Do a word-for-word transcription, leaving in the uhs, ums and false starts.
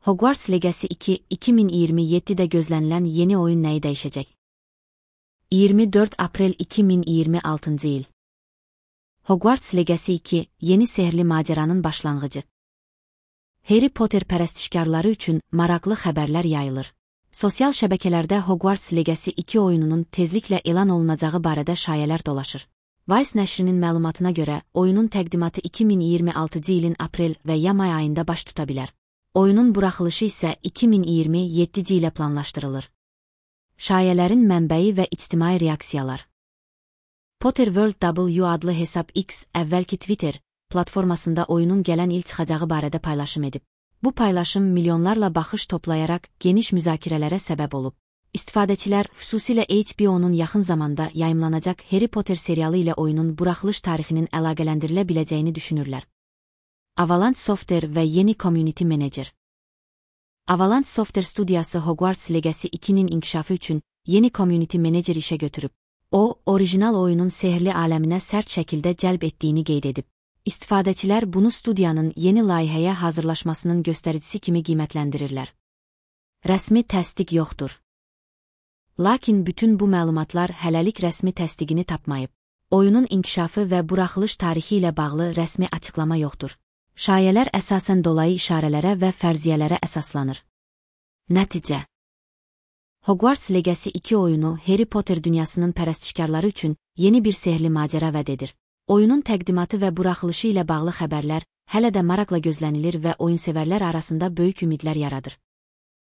Hogwarts Legacy iki iki min iyirmi yedidə gözlənilən yeni oyun nəyi dəyişəcək? iyirmi dörd aprel iki min iyirmi altıncı il. Hogwarts Legacy iki, yeni sehirli maceranın başlanğıcı. Harry Potter pərəstişkarları üçün maraqlı xəbərlər yayılır. Sosial şəbəkələrdə Hogwarts Legacy iki oyununun tezliklə elan olunacağı barədə şayələr dolaşır. Vice nəşrinin məlumatına görə, oyunun təqdimatı iki min iyirmi altıncı ilin aprel və ya may ayında baş tuta bilər. Oyunun buraxılışı isə iki min iyirmi yeddinci ilə planlaşdırılır. Şayələrin mənbəyi və ictimai reaksiyalar. Potter World W adlı hesab X, əvvəlki Twitter platformasında oyunun gələn il çıxacağı barədə paylaşım edib. Bu paylaşım milyonlarla baxış toplayaraq geniş müzakirələrə səbəb olub. İstifadəçilər, xüsusilə H B O-nun yaxın zamanda yayımlanacaq Harry Potter serialı ilə oyunun buraxılış tarixinin əlaqələndirilə biləcəyini düşünürlər. Avalanche Software və yeni Community Manager. Avalanche Software studiyası Hogwarts Legacy ikinin inkişafı üçün yeni Community Manager işə götürüb. O, orijinal oyunun sehirli aləminə sərt şəkildə cəlb etdiyini qeyd edib. İstifadəçilər bunu studiyanın yeni layihəyə hazırlaşmasının göstəricisi kimi qiymətləndirirlər. Rəsmi təsdiq yoxdur. Lakin bütün bu məlumatlar hələlik rəsmi təsdiqini tapmayıb. Oyunun inkişafı və buraxılış tarixi ilə bağlı rəsmi açıqlama yoxdur. Şayələr əsasən dolayı işarələrə və fərziyyələrə əsaslanır. Nəticə. Hogwarts Legacy iki oyunu Harry Potter dünyasının pərəstişkarları üçün yeni bir sehirli macəra vəd edir. Oyunun təqdimatı və buraxılışı ilə bağlı xəbərlər hələ də maraqla gözlənilir və oyunsevərlər arasında böyük ümidlər yaradır.